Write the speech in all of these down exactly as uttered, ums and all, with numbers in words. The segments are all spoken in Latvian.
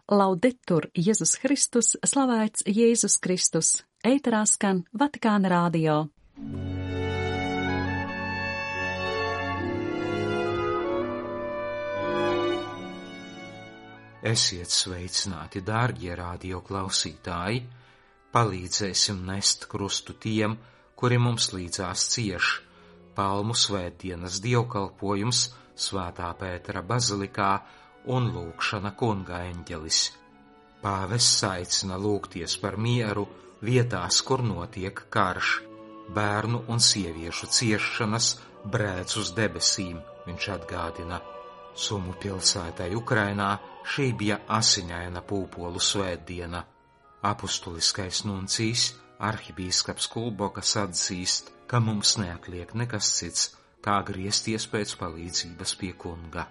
Laudetur Jēzus Kristus, slavēts Jēzus Kristus, ēterā skan Vatikāna radio. Esiet sveicināti, dārgie radio klausītāji, palīdzēsim nest krustu tiem, kuri mums līdzās cieš. Palmu svētdienas dievkalpojums Svētā Pētera bazilikā un lūgšana kunga eņģelis. Pāvests aicina lūgties par mieru vietās, kur notiek karš, bērnu un sieviešu ciešanas brēc uz debesīm, viņš atgādina. Sumu pilsētai Ukrainā šī bija asiņaina pūpolu svētdiena. Apustuliskais nuncijs, arhibīskaps Kulbokas atzīst, ka mums neatliek nekas cits, kā griezties pēc palīdzības pie kunga.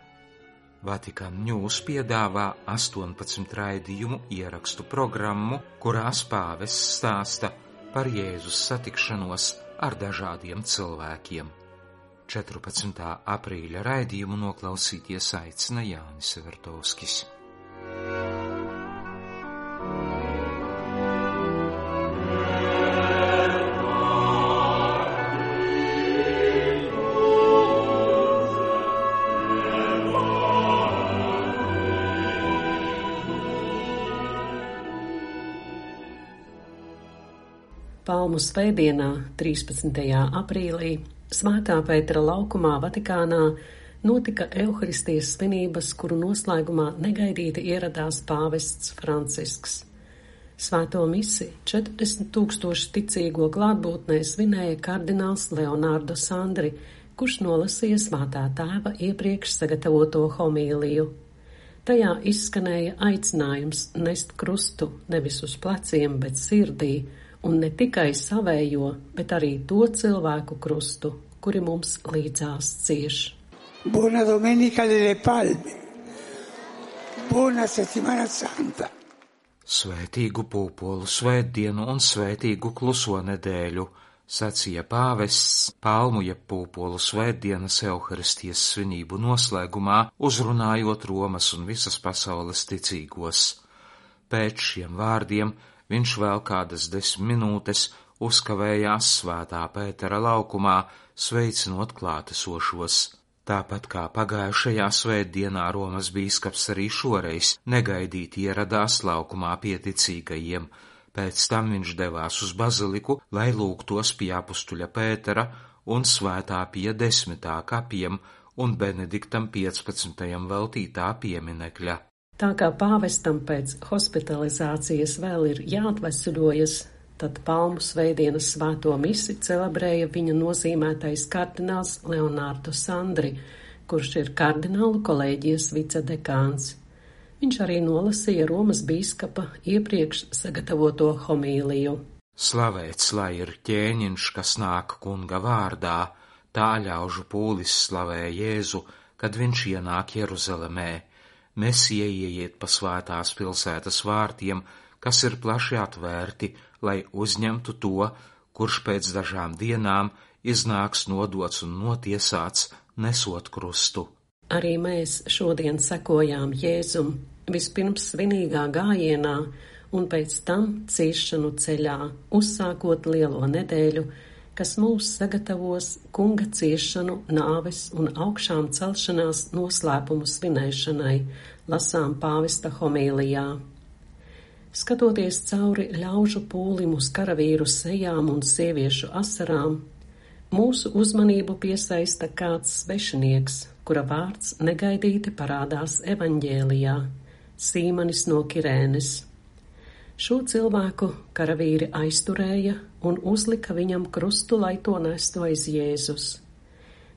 Vatikan News piedāvā astoņpadsmit raidījumu ierakstu programmu, kurās pāvests stāsta par Jēzus satikšanos ar dažādiem cilvēkiem. četrpadsmitā aprīļa raidījumu noklausīties aicina Jānis Vertovskis. Palmu svētdienā, trīspadsmitajā aprīlī, Svētā Pētera laukumā Vatikānā notika Euharistijas svinības, kuru noslēgumā negaidīti ieradās pāvests Francisks. Svēto misi četrdesmit tūkstoši ticīgo klātbūtnē svinēja kardināls Leonardo Sandri, kurš nolasīja Svētā tēva iepriekš sagatavoto homīliju. Tajā izskanēja aicinājums nest krustu nevis uz pleciem, bet sirdī, un ne tikai savējo, bet arī to cilvēku krustu, kuri mums līdzās cieš. Buona Domenica delle Palme. Buona Settimana Santa. Svētīgu pūpolu svētdienu un svētīgu kluso nedēļu, sacīja pāvests Palmu jeb pūpolu svētdienas Euharistijas svinību noslēgumā, uzrunājot Romas un visas pasaules ticīgos. Pēc šiem vārdiem viņš vēl kādas desmit minūtes uzkavējās Svētā Pētera laukumā, sveicinot klātesošos. Tāpat kā pagājušajā svētdienā Romas bīskaps arī šoreiz negaidīti ieradās laukumā pie ticīgajiem. Pēc tam viņš devās uz baziliku, lai lūgtos pie apustuļa Pētera un Svētā Pija desmitā kapiem un Benediktam piecpadsmitajam veltītā pieminekļa. Tā kā pāvestam pēc hospitalizācijas vēl ir jāatvesaļojas, tad Palmu svētdienas svēto misi celebrēja viņa nozīmētais kardināls Leonardo Sandri, kurš ir kardinālu kolēģijas vicedekāns. Viņš arī nolasīja Romas bīskapa iepriekš sagatavoto homīliju. Slavēts lai ir ķēniņš, kas nāk kunga vārdā, tā ļaužu pūlis slavē Jēzu, kad viņš ienāk Jeruzalemē. Mesija ieiet pa svētās pilsētas vārtiem, kas ir plaši atvērti, lai uzņemtu to, kurš pēc dažām dienām iznāks nodots un notiesāts, nesot krustu. Arī mēs šodien sekojām Jēzum, vispirms svinīgā gājienā un pēc tam ciešanu ceļā, uzsākot lielo nedēļu, kas mūs sagatavos kunga ciešanu, nāves un augšām celšanās noslēpumu svinēšanai, lasām pāvesta homīlijā. Skatoties cauri ļaužu pūlim uz karavīru sejām un sieviešu asarām, mūsu uzmanību piesaista kāds svešinieks, kura vārds negaidīti parādās evaņģēlijā – Sīmanis no Kirēnes. Šo cilvēku karavīri aizturēja un uzlika viņam krustu, lai to nestu aiz Jēzus.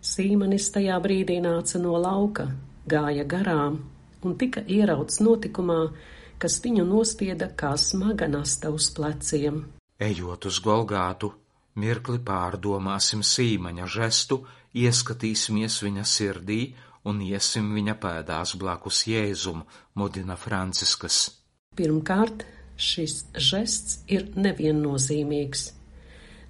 Sīmanis tajā brīdī nāca no lauka, gāja garām un tika ierauts notikumā, kas viņu nospieda kā smaga nasta uz pleciem. Ejot uz Golgātu, mirkli pārdomāsim Sīmaņa žestu, ieskatīsimies viņa sirdī un iesim viņa pēdās blakus Jēzum, mudina Franciskas. Pirmkārt, šis žests ir neviennozīmīgs.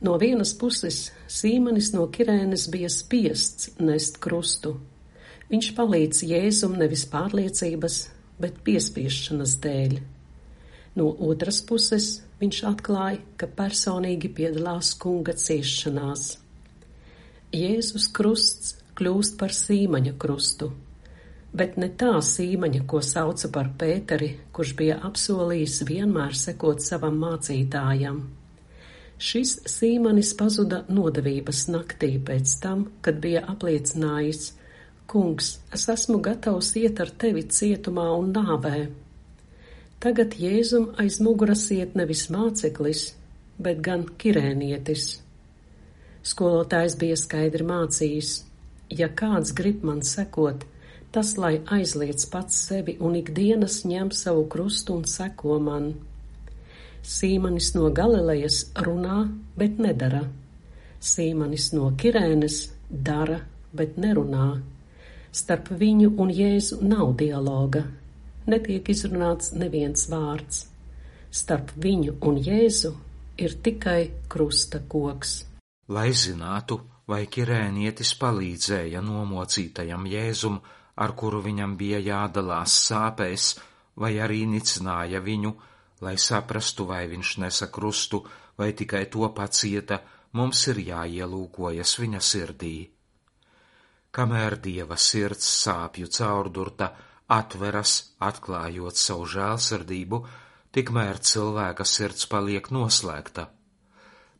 No vienas puses Sīmanis no Kirēnes bija spiests nest krustu. Viņš palīdz Jēzum nevis pārliecības, bet piespiešanas dēļ. No otras puses, viņš atklāja, ka personīgi piedalās kunga ciešanās. Jēzus krusts kļūst par sīmaņa krustu, bet ne tā sīmaņa, ko sauca par Pēteri, kurš bija apsolījis vienmēr sekot savam mācītājam. Šis sīmanis pazuda nodevības naktī pēc tam, kad bija apliecinājis: Kungs, es esmu gatavs iet ar tevi cietumā un nāvē. Tagad Jēzum aiz muguras iet nevis māceklis, bet gan kirēnietis. Skolotājs bija skaidri mācījis: ja kāds grib man sekot, tas lai aizliedz pats sevi un ikdienas ņem savu krustu un seko man. Sīmanis no Galilejas runā, bet nedara. Sīmanis no Kirēnes dara, bet nerunā. Starp viņu un Jēzu nav dialoga. Netiek izrunāts neviens vārds. Starp viņu un Jēzu ir tikai krusta koks. Lai zinātu, vai kirēnietis palīdzēja nomocītajam Jēzum, ar kuru viņam bija jādalās sāpēs, vai arī nicināja viņu, lai saprastu, vai viņš nesa krustu, vai tikai to pacieta, mums ir jāielūkojas viņa sirdī. Kamēr Dieva sirds sāpju caurdurta atveras, atklājot savu žēlsirdību, tikmēr cilvēka sirds paliek noslēgta.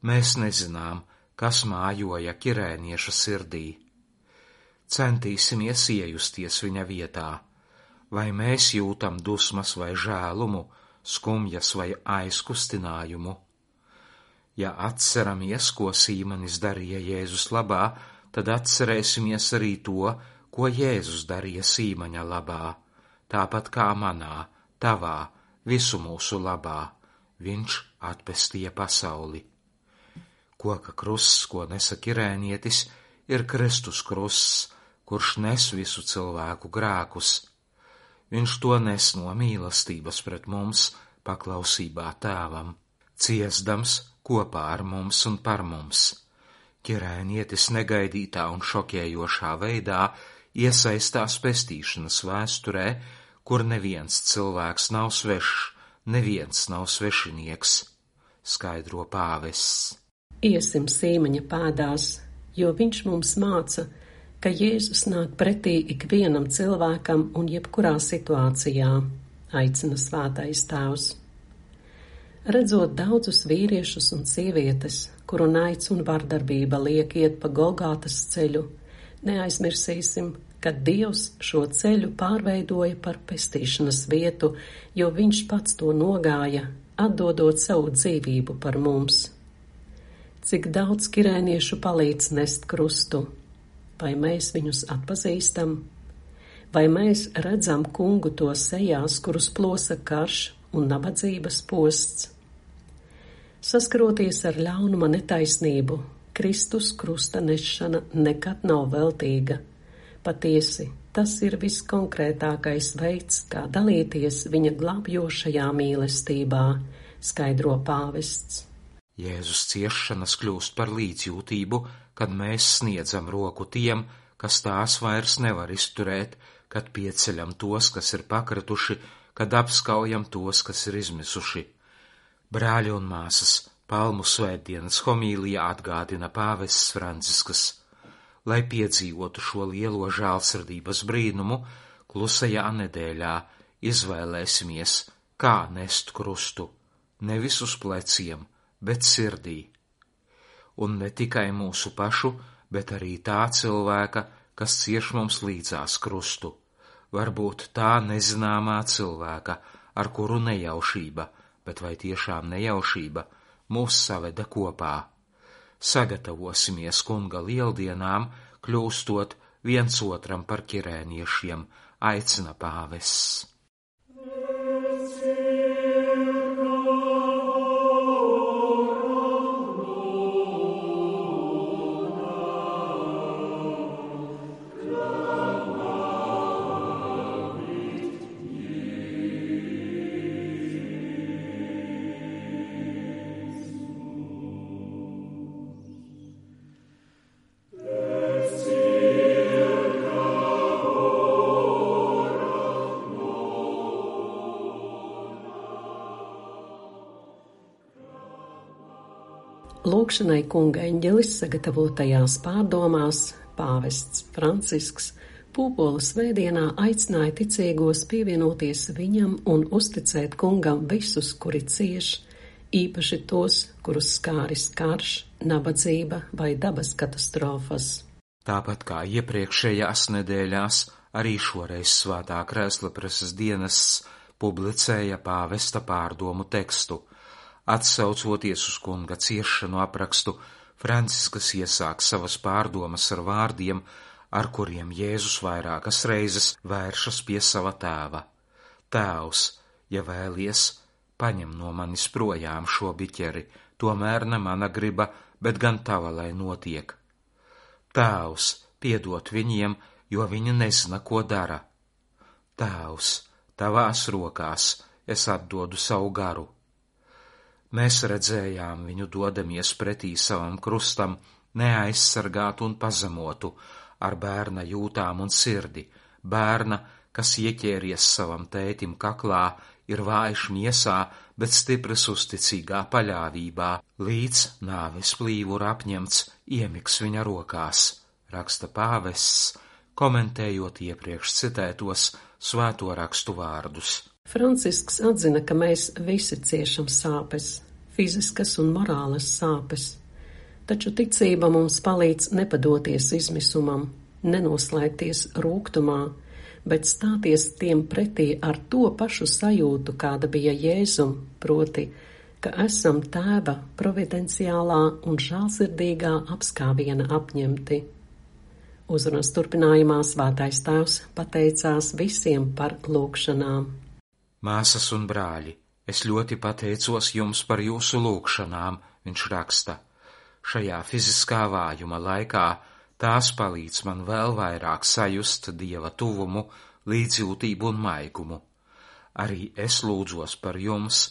Mēs nezinām, kas mājoja kirēnieša sirdī. Centīsimies iejusties viņa vietā. Vai mēs jūtam dusmas vai žēlumu, skumjas vai aizkustinājumu? Ja atceramies, ko Sīmanis darīja Jēzus labā, tad atcerēsimies arī to, ko Jēzus darīja Sīmaņa labā, tāpat kā manā, tavā, visu mūsu labā. Viņš atpestīja pasauli. Koka krusts, ko nesa kirēnietis, ir Kristus krusts, kurš nes visu cilvēku grēkus. Viņš to nes no mīlestības pret mums, paklausībā Tēvam, ciesdams kopā ar mums un par mums. Kirēnietis negaidītā un šokējošā veidā iesaistās pestīšanas vēsturē, kur neviens cilvēks nav svešs, neviens nav svešinieks, skaidro pāvests. Iesim Sīmaņa pēdās, jo viņš mums māca, ka Jēzus nāk pretī ikvienam cilvēkam un jebkurā situācijā, aicina Svētais Tēvs. Redzot daudzus vīriešus un sievietes, kuru naids un vardarbība liek iet pa Golgātas ceļu, neaizmirsīsim, ka Dievs šo ceļu pārveidoja par pestīšanas vietu, jo viņš pats to nogāja, atdodot savu dzīvību par mums. Cik daudz kirēniešu palīdz nest krustu? Vai mēs viņus atpazīstam? Vai mēs redzam kungu to sejās, kurus plosa karš un nabadzības posts? Saskaroties ar ļaunuma netaisnību, Kristus krusta nešana nekad nav veltīga. Patiesi, tas ir viskonkrētākais veids, kā dalīties viņa glābjošajā mīlestībā, skaidro pāvests. Jēzus ciešanas kļūst par līdzjūtību, kad mēs sniedzam roku tiem, kas tās vairs nevar izturēt, kad pieceļam tos, kas ir pakrituši, kad apskaujam tos, kas ir izmisuši. Brāļi un māsas, Palmu svētdienas homīlijā atgādina pāvests Francisks. Lai piedzīvotu šo lielo žēlsirdības brīnumu, klusajā nedēļā izvēlēsimies, kā nest krustu, nevis uz pleciem, bet sirdī. Un ne tikai mūsu pašu, bet arī tā cilvēka, kas cieš mums līdzās krustu. Varbūt tā nezināmā cilvēka, ar kuru nejaušība, bet vai tiešām nejaušība, mūs saveda kopā. Sagatavosimies kunga lieldienām, kļūstot viens otram par kirēniešiem, aicina pāvests. Lūkšanai kunga eņģelis sagatavotajās pārdomās pāvests Francisks Pūpolu svētdienā aicināja ticīgos pievienoties viņam un uzticēt kungam visus, kuri cieš, īpaši tos, kurus skāris karš, nabadzība vai dabas katastrofas. Tāpat kā iepriekšējās nedēļās, arī šoreiz Svētā Krēsla preses dienests publicēja pāvesta pārdomu tekstu. Atsaucoties uz kunga ciešanu aprakstu, Francisks iesāk savas pārdomas ar vārdiem, ar kuriem Jēzus vairākas reizes vēršas pie sava tēva. Tēvs, ja vēlies, paņem no manis projām šo biķeri, tomēr ne mana griba, bet gan tava, lai notiek. Tēvs, piedod viņiem, jo viņi nezina, ko dara. Tēvs, tavās rokās es atdodu savu garu. Mēs redzējām viņu dodamies pretī savam krustam, neaizsargātu un pazemotu, ar bērna jūtām un sirdi, bērna, kas ieķēries savam tētim kaklā, ir vājš miesā, bet stipras uzticīgā paļāvībā, līdz nāves plīvura apņemts iemiks viņa rokās, raksta pāvests, komentējot iepriekš citētos svēto rakstu vārdus. Francisks atzina, ka mēs visi ciešam sāpes, fiziskas un morālas sāpes. Taču ticība mums palīdz nepadoties izmisumam, nenoslēgties rūgtumā, bet stāties tiem pretī ar to pašu sajūtu, kāda bija Jēzum, proti, ka esam Tēva providenciālā un žēlsirdīgā apskāviena apņemti. Uzrunas turpinājumā Svētais Tēvs pateicās visiem par lūgšanām. Māsas un brāļi, es ļoti pateicos jums par jūsu lūgšanām, viņš raksta. Šajā fiziskā vājuma laikā tās palīdz man vēl vairāk sajust Dieva tuvumu, līdzjūtību un maigumu. Arī es lūdzos par jums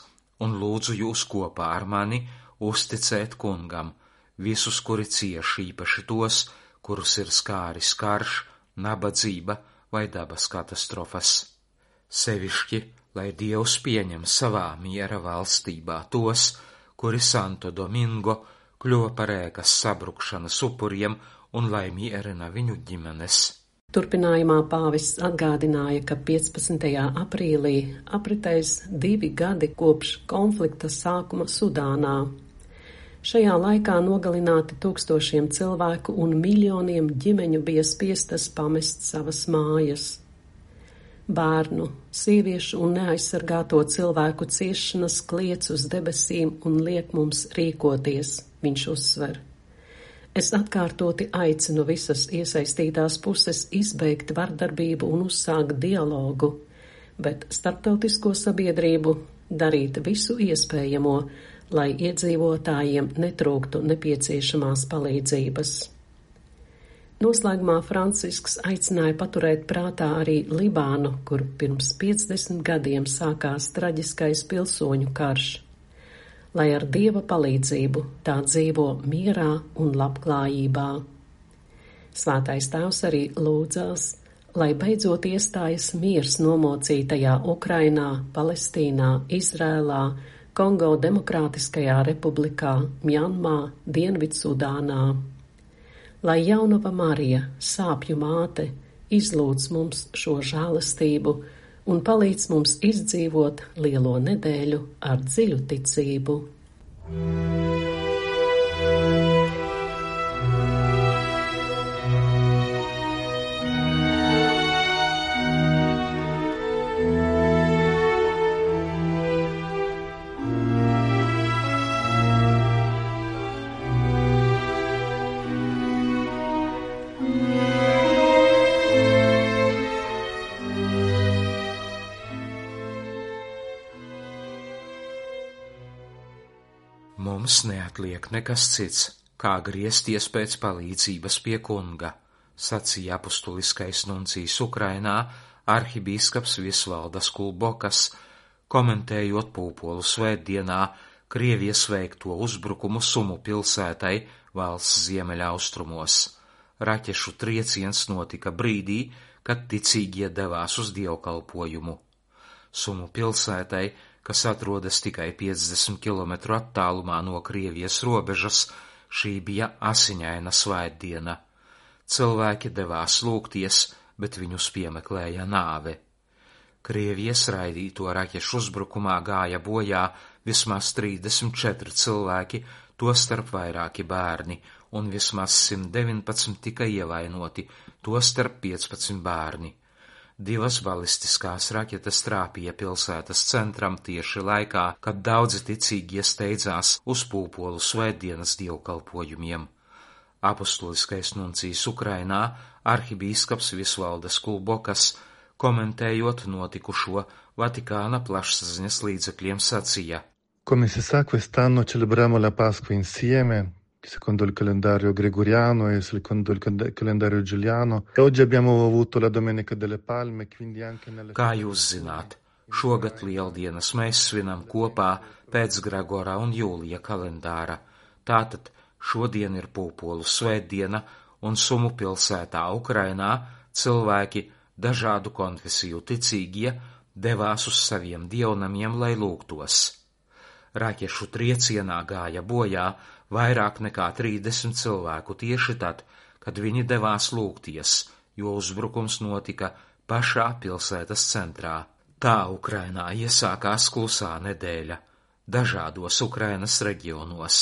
un lūdzu jūs kopā ar mani uzticēt kungam, visus, kuri cieš, īpaši tos, kurus ir skāris karš, nabadzība vai dabas katastrofas. Sevišķi, lai Dievs pieņem savā miera valstībā tos, kuri Santo Domingo kļuva par ēkas sabrukšanas upuriem un lai mierina viņu ģimenes. Turpinājumā pāvests atgādināja, ka piecpadsmitajā aprīlī apritēs divi gadi kopš konflikta sākuma Sudānā. Šajā laikā nogalināti tūkstošiem cilvēku un miljoniem ģimeņu bija spiestas pamest savas mājas. Bērnu, sieviešu un neaizsargāto cilvēku ciešanas kliedz uz debesīm un liek mums rīkoties, viņš uzsver. Es atkārtoti aicinu visas iesaistītās puses izbeigt vardarbību un uzsākt dialogu, bet starptautisko sabiedrību darīt visu iespējamo, lai iedzīvotājiem netrūktu nepieciešamās palīdzības. Noslēgumā Francisks aicināja paturēt prātā arī Libānu, kur pirms piecdesmit gadiem sākās traģiskais pilsoņu karš. Lai ar Dieva palīdzību tā dzīvo mierā un labklājībā. Svētais Tēvs arī lūdzās, lai beidzot iestājas miers nomocītajā Ukrainā, Palestīnā, Izrēlā, Kongo Demokrātiskajā republikā, Mjanmā, Dienvidsudānā. Lai jaunava Marija, sāpju māte, izlūdz mums šo žēlastību un palīdz mums izdzīvot lielo nedēļu ar dziļu ticību. Mums neatliek nekas cits, kā griezties pēc palīdzības pie kunga, sacīja apustuliskais nuncijs Ukrainā arhibīskaps Visvaldas Kulbokas, komentējot Pūpolu svētdienā Krievijas veikto uzbrukumu Sumu pilsētai valsts ziemeļaustrumos. Raķešu trieciens notika brīdī, kad ticīgie devās uz dievkalpojumu. Sumu pilsētai, kas atrodas tikai piecdesmit kilometru attālumā no Krievijas robežas, šī bija asiņaina svētdiena. Cilvēki devās lūgties, bet viņus piemeklēja nāve. Krievijas raidīto raķešu uzbrukumā gāja bojā vismaz trīsdesmit četri cilvēki, tostarp vairāki bērni, un vismaz simt deviņpadsmit tika ievainoti, tostarp piecpadsmit bērni. Divas balistiskās raķetes trāpīja pilsētas centram tieši laikā, kad daudzi ticīgie steidzās uz pūpolu svētdienas dievkalpojumiem. Apostuliskais nuncijs Ukrainā, arhibīskaps Visvaldas Kulbokas, komentējot notikušo, Vatikāna plašsaziņas līdzekļiem sacīja: Come si sa, quest'anno celebriamo la Pasqua insieme, secondo il calendario gregoriano e secondo il calendario giuliano, e oggi abbiamo avuto la Domenica delle Palme, quindi anche nelle... Kā jūs zināt, šogad lieldienas mēs svinam kopā pēc Gregora un Jūlija kalendāra. Tātad šodien ir pūpolu svētdiena, un Sumu pilsētā Ukrainā cilvēki, dažādu konfesiju ticīgie, devās uz saviem dievnamiem, lai lūgtos. Raķešu triecienā gāja bojā vairāk nekā trīsdesmit cilvēku tieši tad, kad viņi devās lūgties, jo uzbrukums notika pašā pilsētas centrā. Tā Ukrainā iesākās klusā nedēļa dažādos Ukrainas reģionos.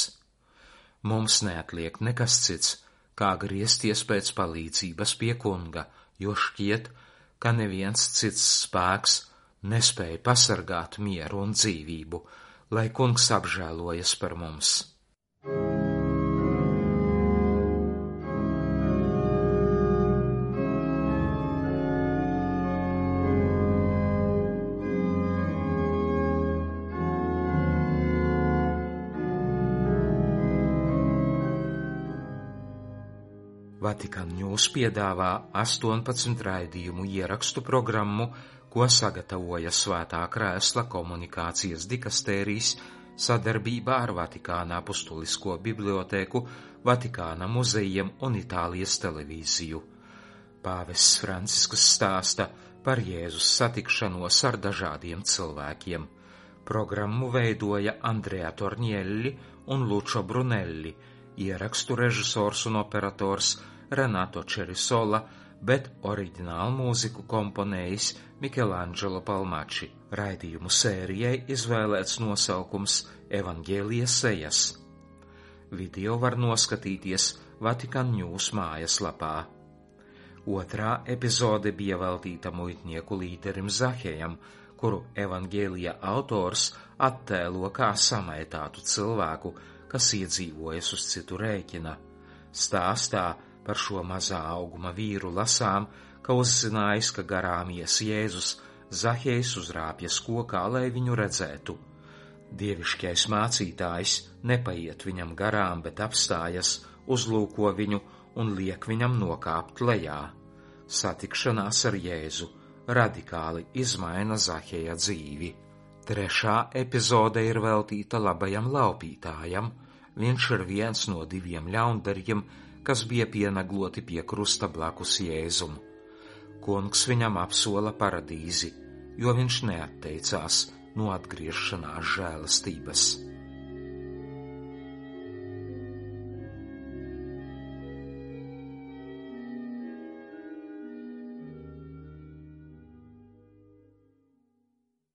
Mums neatliek nekas cits, kā griezties pēc palīdzības pie kunga, jo šķiet, ka neviens cits spēks nespēja pasargāt mieru un dzīvību, lai kungs apžēlojas par mums. Vatikan News piedāvā astoņpadsmit raidījumu ierakstu programmu, ko sagatavoja Svētā Krēsla komunikācijas dikastērijas sadarbībā ar Vatikāna apustulisko bibliotēku, Vatikāna muzejiem un Itālijas televīziju. Pāvests Francisks stāsta par Jēzus satikšanos ar dažādiem cilvēkiem. Programmu veidoja Andrea Tornielli un Lučo Brunelli, ierakstu režisors un operators Renato Cerisola, bet oriģinālu mūziku komponējis Michelangelo Palmači. Raidījumu sērijai izvēlēts nosaukums Evangēlijas sejas. Video var noskatīties Vatikan News mājaslapā. Otrā epizode bija veltīta muitnieku līderim Zahejam, kuru Evangēlija autors attēlo kā samaitātu cilvēku, kas iedzīvojas uz citu rēķina. Stāstā par šo mazā auguma vīru lasām, ka uzzinājis, ka garām ies Jēzus, Zahejs uzrāpjas kokā, lai viņu redzētu. Dievišķais mācītājs nepaiet viņam garām, bet apstājas, uzlūko viņu un liek viņam nokāpt lejā. Satikšanās ar Jēzu radikāli izmaina Zaheja dzīvi. Trešā epizode ir veltīta labajam laupītājam. Viņš ir viens no diviem ļaundariem, kas bija pienegloti pie krusta blakus Jēzum. Kungs viņam apsola paradīzi, jo viņš neatteicās no atgriešanās žēlastības.